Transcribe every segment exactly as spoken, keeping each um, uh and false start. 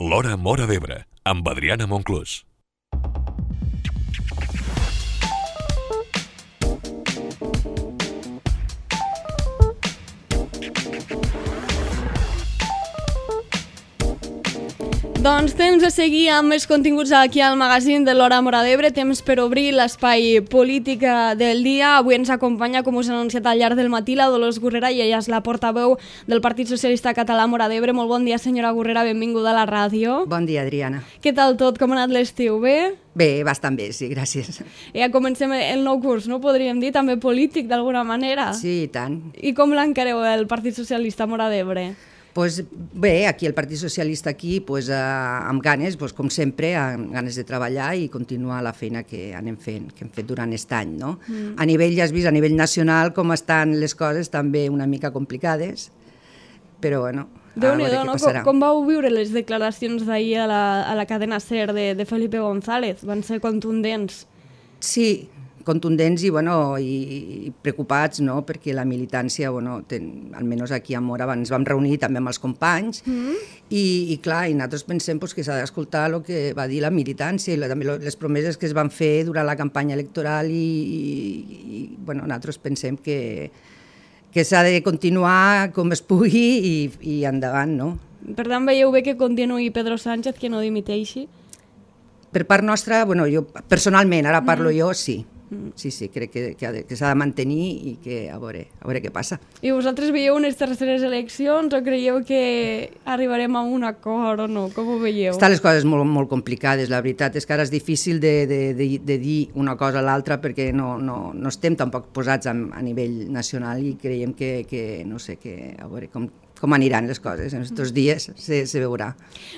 L'Hora Móra d'Ebre, amb Adriana Monclús. Doncs temps de seguir amb els continguts aquí al magazín de l'Hora Móra d'Ebre, temps per obrir l'espai polític del dia. Avui ens acompanya, com us he anunciat al llarg del matí, la Dolors Gurrera, i ella és la portaveu del Partit Socialista Català Móra d'Ebre. Molt bon dia, senyora Gurrera, benvinguda a la ràdio. Bon dia, Adriana. Què tal tot? Com ha anat l'estiu? Bé? Bé, bastant bé, sí, gràcies. Ja comencem el nou curs, no? Podríem dir, també polític, d'alguna manera. Sí, i tant. I com l'encareu el Partit Socialista Móra d'Ebre? Pues bé, aquí el Partit Socialista aquí, pues, eh, amb ganes, pues, com sempre, amb ganes de treballar i continuar la feina que anem fent, que hem fet durant aquest any, no? Mm. A nivell, ja has vist, a nivell nacional, com estan les coses, també una mica complicades, però bueno, a veure què no? passarà. Com, com vau viure les declaracions d'ahir a, la, a la cadena SER de, de Felipe González? Van ser contundents. Sí, contundents i, bueno, i, i preocupats, no? Perquè la militància, bueno, ten, almenys aquí a Móra, ens vam reunir també amb els companys mm. i, i clar, i nosaltres pensem pues, que s'ha d'escoltar el que va dir la militància i la, també les promeses que es van fer durant la campanya electoral i, i, i bueno, nosaltres pensem que, que s'ha de continuar com es pugui i, i endavant, no? Per tant, veieu bé que continuï Pedro Sánchez, que no dimiteixi? Per part nostra, bueno, jo personalment, ara parlo mm. jo, sí. Sí, sí, crec que, que, que s'ha de mantenir i que a veure, a veure què passa. I vosaltres veieu unes terceres eleccions o creieu que arribarem a un acord o no? Com ho veieu? Estan les coses molt, molt complicades, la veritat és que ara és difícil de, de, de, de dir una cosa a l'altra perquè no, no, no estem tampoc posats a, a nivell nacional i creiem que, que no sé, que a veure com, com aniran les coses. En aquests dies se, se veurà.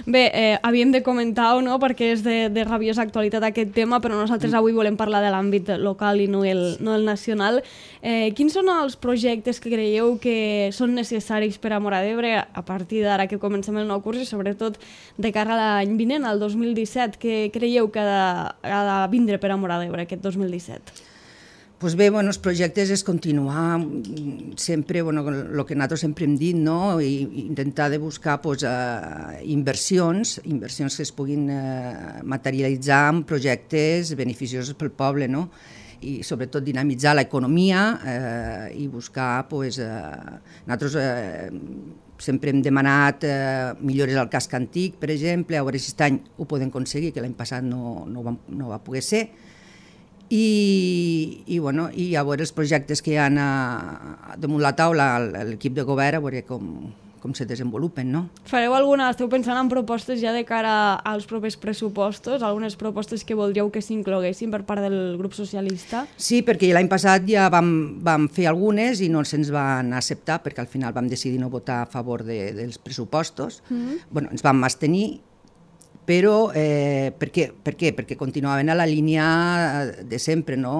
Bé, eh, havíem de comentar-ho, no?, perquè és de, de rabiosa actualitat aquest tema, però nosaltres avui volem parlar de l'àmbit local i no el, no el nacional. Eh, quins són els projectes que creieu que són necessaris per a Móra d'Ebre a partir d'ara que comencem el nou curs i sobretot de cara a l'any vinent, al dos mil disset? Què creieu que ha de, ha de vindre per a Móra d'Ebre aquest dos mil disset? Pues bé, bueno, els projectes és continuar sempre, bueno, el que nosaltres sempre hem dit, no? I intentar de buscar pues, uh, inversions, inversions que es puguin uh, materialitzar en projectes beneficiosos pel poble, no? I sobretot dinamitzar l'economia eh, i buscar, pues, eh, nosaltres eh, sempre hem demanat eh, millores al casc antic, per exemple, a veure si aquest any ho podem aconseguir, que l'any passat no, no, va, no va poder ser. I, i, bueno, i a veure els projectes que hi ha a, damunt la taula, l'equip de govern, a veure com, com se desenvolupen, no? Fareu alguna, esteu pensant en propostes ja de cara als propers pressupostos, algunes propostes que voldríeu que s'incloguessin per part del grup socialista? Sí, perquè l'any passat ja vam, vam fer algunes i no se'ns van acceptar, perquè al final vam decidir no votar a favor de, dels pressupostos. Mm-hmm. Bueno, ens vam abstenir, però eh, per, què? per què? Perquè continuaven a la línia de sempre, no?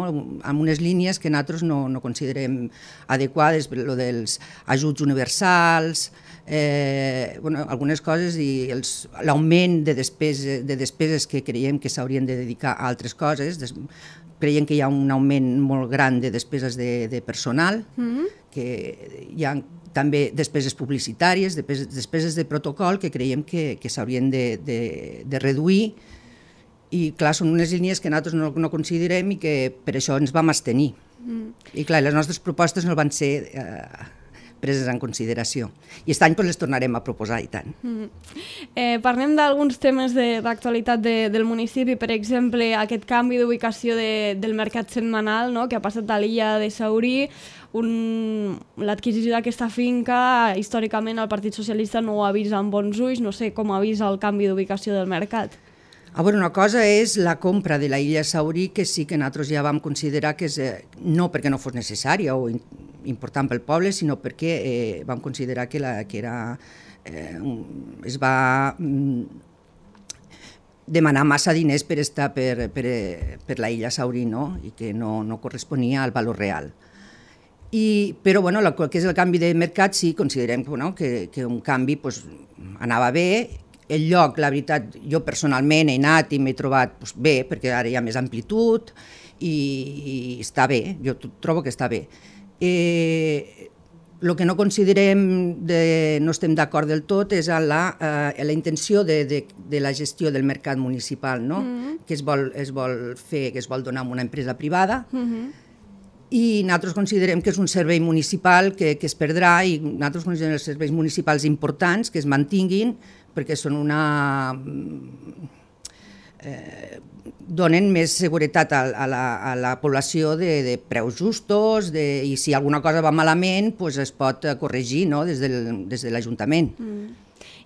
Amb unes línies que nosaltres no, no considerem adequades, lo dels ajuts universals, eh, bueno, algunes coses i l'augment de, despeses, de despeses que creiem que s'haurien de dedicar a altres coses. Des, creiem que hi ha un augment molt gran de despeses de, de personal, mm-hmm. que hi ha també despeses publicitàries, despeses, despeses de protocol que creiem que, que s'haurien de, de, de reduir i clar, són unes línies que nosaltres no, no considerem i que per això ens vam abstenir. Mm. I clar, les nostres propostes no van ser eh, preses en consideració. I aquest any pues, les tornarem a proposar i tant. Mm. Eh, parlem d'alguns temes d'actualitat de, de, del municipi, per exemple, aquest canvi d'ubicació de, del mercat setmanal, no?, que ha passat a l'illa de Saurí. L'adquisició d'aquesta finca, històricament el Partit Socialista no ho ha vist amb bons ulls, no sé com ha vist el canvi d'ubicació del mercat. A veure, una cosa és la compra de la illa Saurí, que sí que nosaltres ja vam considerar que és, eh, no perquè no fos necessària o in, important pel poble, sinó perquè eh, vam considerar que, la, que era, eh, es va mm, demanar massa diners per estar per, per, per la illa Saurí, no? I que no, no corresponia al valor real. I, però bueno, el que és el canvi de mercat sí, considerem bueno, que, que un canvi pues, anava bé. El lloc, la veritat, jo personalment he anat i m'he trobat pues, bé, perquè ara hi ha més amplitud i, i està bé, jo trobo que està bé. Eh, el que no considerem, de, no estem d'acord del tot, és a la, eh, la intenció de, de, de la gestió del mercat municipal, no? Mm-hmm. que es vol, es vol fer, que es vol donar a una empresa privada, mm-hmm. i nosaltres considerem que és un servei municipal que, que es perdrà, i nosaltres considerem els serveis municipals importants que es mantinguin, perquè són una... Eh, donen més seguretat a, a, la, a la població de, de preus justos, de, i si alguna cosa va malament pues es pot corregir, no? des, del, des de l'Ajuntament. Mm.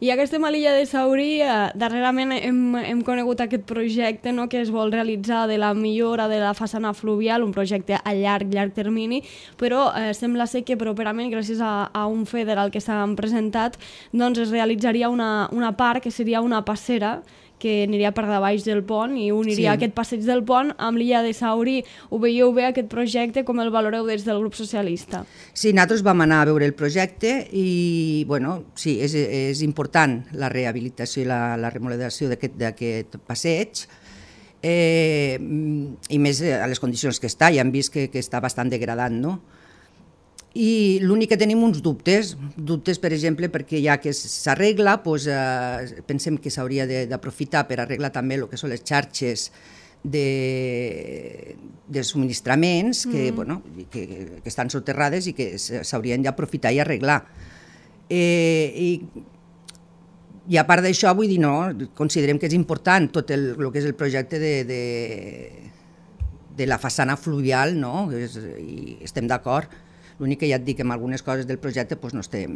I ja que estem a l'illa de Saurí, eh, darrerament hem, hem conegut aquest projecte, no?, que es vol realitzar de la millora de la façana fluvial, un projecte a llarg, llarg termini, però eh, sembla ser que properament, gràcies a, a un federal que s'han presentat, doncs es realitzaria una, una part que seria una passera que aniria per baix del pont i uniria sí. aquest passeig del pont amb l'illa de Saurí. Ho veieu bé, aquest projecte, com el valoreu des del grup socialista? Sí, nosaltres vam anar a veure el projecte i, bueno, sí, és, és important la rehabilitació i la, la remodelació d'aquest passeig, eh, i més a les condicions que està, ja hem vist que, que està bastant degradat, no? I l'únic que tenim uns dubtes, dubtes per exemple perquè ja que s'arregla, doncs, eh, pensem que s'hauria d'aprofitar per arreglar també el que són les xarxes de, de subministraments que, mm. bueno, que, que estan soterrades i que s'haurien d'aprofitar i arreglar. Eh, i, I a part d'això, vull dir, no, considerem que és important tot el, el que és el projecte de, de, de la façana fluvial, no? És, i estem d'acord. L'únic que ja et dic que amb algunes coses del projecte doncs no estem...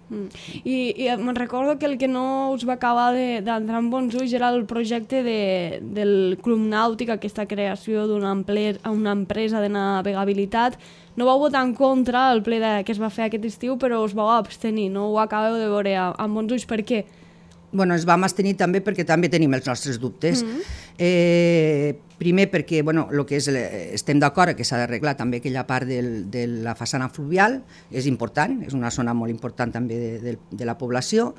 Mm. I, i me'n recordo que el que no us va acabar d'entrar en bons ulls era el projecte de, del Club Nàutic, aquesta creació d'una una empresa de navegabilitat. No vau votar en contra al ple de, que es va fer aquest estiu, però us vau abstenir, no ho acabeu de veure amb bons ulls. Per què? Bueno, ens vam abstenir també perquè també tenim els nostres dubtes. Mm-hmm. eh, primer perquè bueno, lo que és, estem d'acord que s'ha d'arreglar també aquella part del, de la façana fluvial, és important, és una zona molt important també de, de, de la població.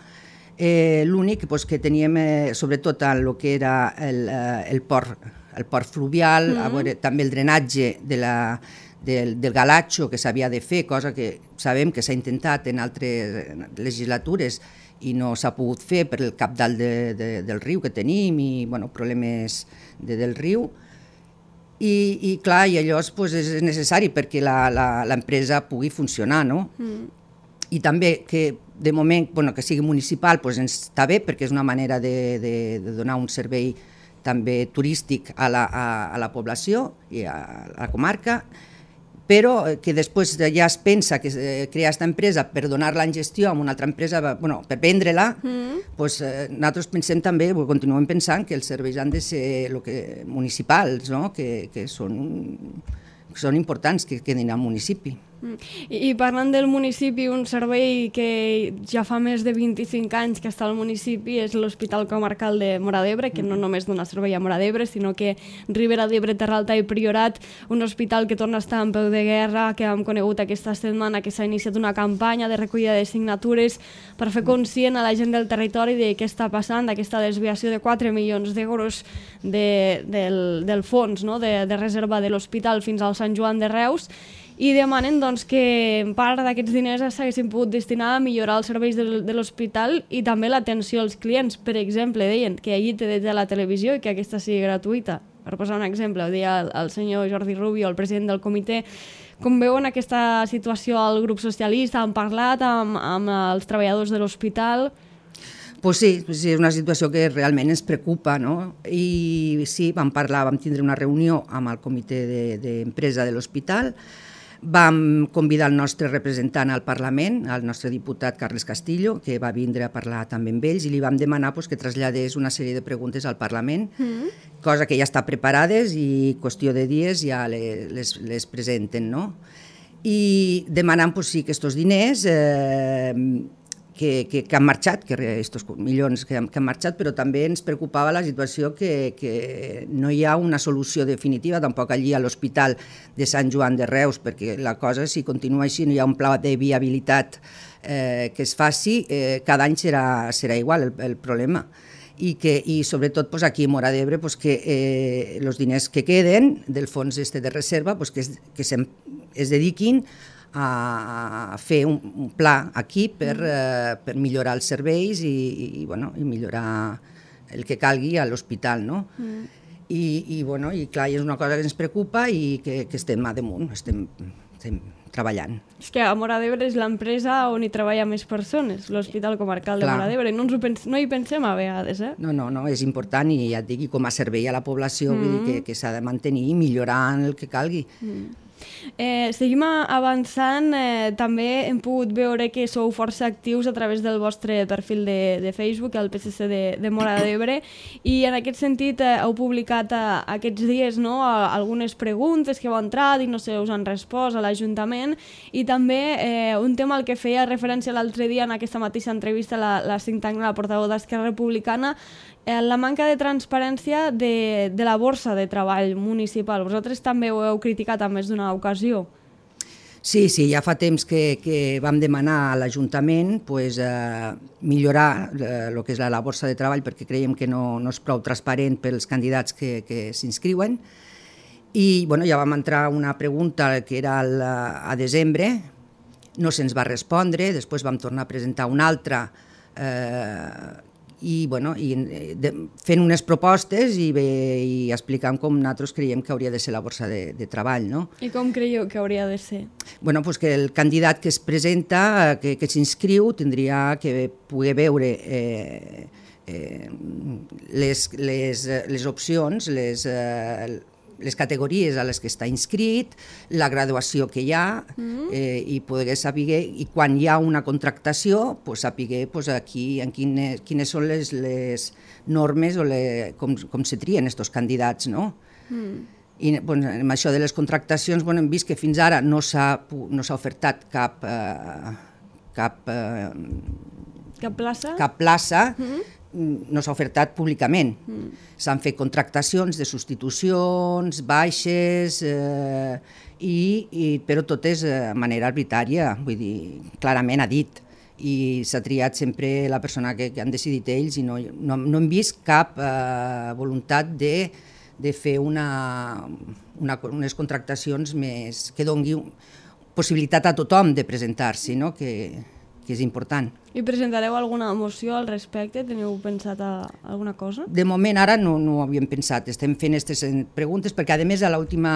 Eh, L'únic pues, que teníem, eh, sobretot en el que era el, eh, el, port, el port fluvial, mm-hmm. a veure, també el drenatge de la, del, del galatxo que s'havia de fer, cosa que sabem que s'ha intentat en altres legislatures i no s'ha pogut fer per el cabdal de, de, del riu que tenim i bueno, problemes de, del riu. I, i clar, i allò pues, és necessari perquè l'empresa pugui funcionar, no? Mm. I també que de moment bueno, que sigui municipal pues, ens està bé perquè és una manera de, de, de donar un servei també turístic a la, a, a la població i a, a la comarca, però que després ja es pensa que crear aquesta empresa per donar-la en gestió a una altra empresa, bueno, per vendre-la, mm. doncs, nosaltres pensem també, continuem pensant que els serveis han de ser lo que, municipals, no? que, que, són, que són importants que quedin al municipi. I, I parlant del municipi, un servei que ja fa més de vint-i-cinc anys que està al municipi és l'Hospital Comarcal de Móra d'Ebre, que no només dona servei a Móra d'Ebre, sinó que Ribera d'Ebre, Terra Alta i Priorat, un hospital que torna a estar en peu de guerra, que hem conegut aquesta setmana que s'ha iniciat una campanya de recollida de signatures per fer conscient a la gent del territori de què està passant, d'aquesta desviació de quatre milions d'euros de, del, del fons, no? de, de reserva de l'hospital fins al Sant Joan de Reus, i demanen doncs, que part d'aquests diners s'haguessin pogut destinar a millorar els serveis de, de l'hospital i també l'atenció als clients. Per exemple, deien que allí té de la televisió i que aquesta sigui gratuïta. Per posar un exemple, ho deia el, el senyor Jordi Rubio, el president del comitè. Com veuen aquesta situació al grup socialista? Han parlat amb, amb els treballadors de l'hospital? Pues sí, sí, és una situació que realment ens preocupa, no? I sí, vam parlar, vam tindre una reunió amb el comitè d'empresa de, de l'hospital. Vam convidar el nostre representant al Parlament, el nostre diputat Carles Castillo, que va vindre a parlar també amb ells, i li vam demanar pues, que traslladés una sèrie de preguntes al Parlament, mm. cosa que ja està preparades i qüestió de dies ja les, les, les presenten, no? I demanant pues, sí, que aquests diners eh, que, que, que han marxat, que estos milions que han, que han marxat, però també ens preocupava la situació que, que no hi ha una solució definitiva, tampoc allí a l'Hospital de Sant Joan de Reus, perquè la cosa, si continua així, no hi ha un pla de viabilitat eh, que es faci, eh, cada any serà, serà igual el, el problema. I, que, i sobretot pues, aquí a Móra d'Ebre pues, que els eh, diners que queden del fons este de reserva pues, que, es, que se, es dediquin a fer un, un pla aquí per, eh, per millorar els serveis i, i, bueno, i millorar el que calgui a l'hospital, no? Mm. I, i, bueno, i clar, és una cosa que ens preocupa i que, que estem a damunt, estem, estem treballant. És que a Móra d'Ebre és l'empresa on hi treballa més persones, l'Hospital Comarcal de Móra d'Ebre. No, no hi pensem a vegades, eh? No, no, no, és important i ja et dic, com a servei a la població, mm. vull dir que, que s'ha de mantenir i millorar el que calgui. Mm. Eh, seguim avançant, eh, també hem pogut veure que sou força actius a través del vostre perfil de, de Facebook, el P S C de, de Móra d'Ebre, i en aquest sentit eh, heu publicat eh, aquests dies, no, algunes preguntes que heu entrat i no sé, us han respost a l'Ajuntament, i també eh, un tema al que feia referència l'altre dia en aquesta mateixa entrevista la, la Cinc Tangna, la portaveu d'Esquerra Republicana, eh, la manca de transparència de, de la borsa de treball municipal. Vosaltres també ho heu criticat a més d'una ocasió. Sí, sí, ja fa temps que, que vam demanar a l'Ajuntament pues, eh, millorar el eh, que és la, la borsa de treball perquè creiem que no, no és prou transparent pels candidats que, que s'inscriuen. I bueno, ja vam entrar una pregunta que era el, a desembre, no se'ns va respondre, després vam tornar a presentar una altra eh, i, bueno, i de, fent unes propostes i, bé, i explicant com nosaltres creiem que hauria de ser la borsa de, de treball. No? I com creieu que hauria de ser? Bueno, pues que el candidat que es presenta, que, que s'inscriu, tindria que poder veure eh, eh, les, les, les opcions, les, eh, les categories a les que està inscrit, la graduació que hi ha, mm. eh, i poder saber, i quan hi ha una contractació, pues, saber pues, aquí, en quines, quines són les, les normes o le, com, com se trien aquests candidats, no? Mm. I pues, amb això de les contractacions bueno, hem vist que fins ara no s'ha no s'ha ofertat cap, eh, cap, eh, cap plaça, cap plaça mm-hmm. no s'ha ofertat públicament. Mm. S'han fet contractacions de substitucions, baixes, eh, i, i, però totes de manera arbitrària, vull dir, clarament ha dit. I s'ha triat sempre la persona que, que han decidit ells i no, no, no hem vist cap eh, voluntat de, de fer una, una, unes contractacions més, que doni possibilitat a tothom de presentar-s'hi, no? que, que és important. I presentareu alguna moció al respecte? Teniu pensat a alguna cosa? De moment ara no, no ho havíem pensat. Estem fent aquestes preguntes perquè, a més, a l'última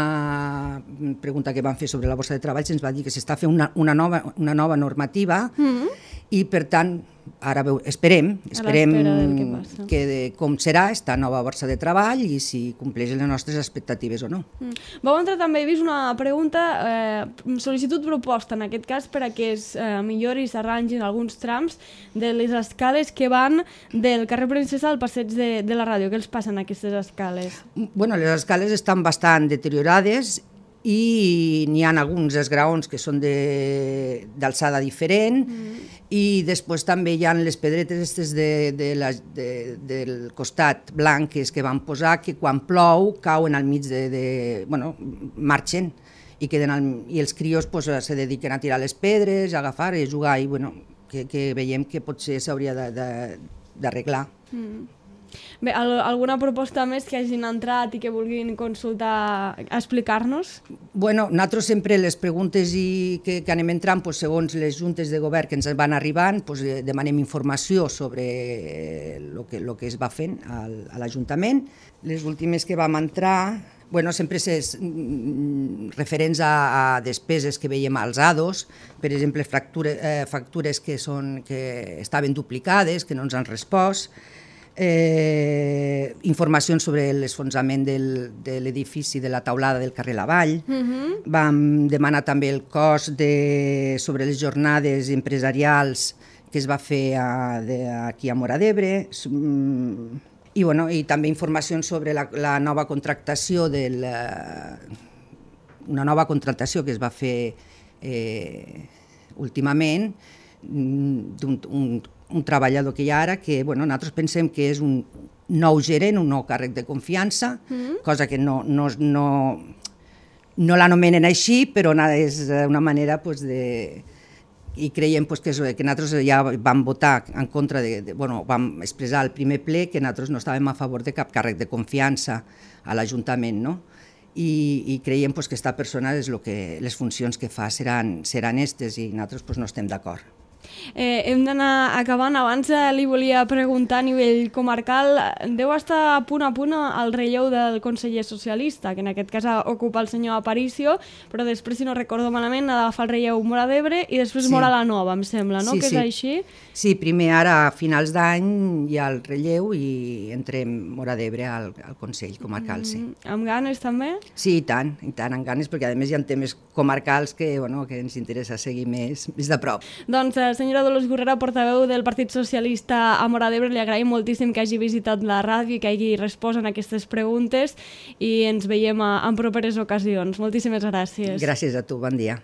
pregunta que vam fer sobre la borsa de treball se'ns va dir que s'està fent una, una, nova, una nova normativa mm-hmm. i, per tant, ara veu, esperem, esperem que, que de, com serà esta nova borsa de treball i si compleix les nostres expectatives o no. Mm. Vau entrar també, he vist una pregunta, eh, sol·licitud proposta, en aquest cas, per a que es eh, millori i s'arrangin alguns trams de les escales que van del carrer Princesa al passeig de, de la ràdio. Què els passen aquestes escales? Bueno, les escales estan bastant deteriorades i n'hi ha alguns esgraons que són d'alçada diferent mm. i després també hi ha les pedretes estes de, de la, de, del costat blanques que van posar que quan plou cauen al mig de... de bueno, marxen i, queden al, i els crios pues, se dediquen a tirar les pedres, a agafar i a jugar i bueno, que, que veiem que potser s'hauria d'arreglar. Mm. Bé, alguna proposta més que hagin entrat i que vulguin consultar, explicar-nos? Bueno, nosaltres sempre les preguntes i que, que anem entrant, pues, segons les juntes de govern que ens van arribant, pues, demanem informació sobre el que, lo que es va fent al, a l'Ajuntament. Les últimes que vam entrar, bueno, sempre és referents a, a despeses que veiem als A D Os, per exemple, factures, eh, factures que, són, que estaven duplicades, que no ens han respost, Eh, informacions sobre l'esfonsament de l'edifici de la taulada del carrer Lavall. Uh-huh. Vam demanar també el cost de, sobre les jornades empresarials que es va fer a, de, aquí a Móra d'Ebre. I, bueno, i també informacions sobre la, la nova contractació del, una nova contractació que es va fer eh, últimament d'un un, un treballador que hi ha ara, que bueno, nosaltres pensem que és un nou gerent, un nou càrrec de confiança, mm. cosa que no, no, no, no l'anomenen així, però és una manera pues, de... I creiem pues, que, que nosaltres ja vam votar en contra de, de... Bueno, vam expressar al primer ple que nosaltres no estàvem a favor de cap càrrec de confiança a l'Ajuntament, no? i, i creiem pues, que aquesta persona és lo que, les funcions que fa seran, seran estes i nosaltres pues, no estem d'acord. Eh, hem d'anar acabant. Abans eh, li volia preguntar a nivell comarcal, deu estar a punt a punt al relleu del conseller socialista, que en aquest cas ocupa el senyor Aparicio, però després, si no recordo malament, ha d'agafar el relleu Móra d'Ebre i després Sí. Móra la Nova, em sembla, no? Sí, Que sí. és així? Sí, primer ara a finals d'any hi ha el relleu i entrem Móra d'Ebre al, al Consell Comarcal, sí. Mm, amb ganes també? Sí, i tant, i tant, amb ganes, perquè a més hi ha temes comarcals que, bueno, que ens interessa seguir més, més de prop. Doncs, eh, senyora Dolors Gurrera, portaveu del Partit Socialista a Móra d'Ebre, li agraïm moltíssim que hagi visitat la ràdio i que hagi respost en aquestes preguntes i ens veiem a, en properes ocasions. Moltíssimes gràcies. Gràcies a tu, bon dia.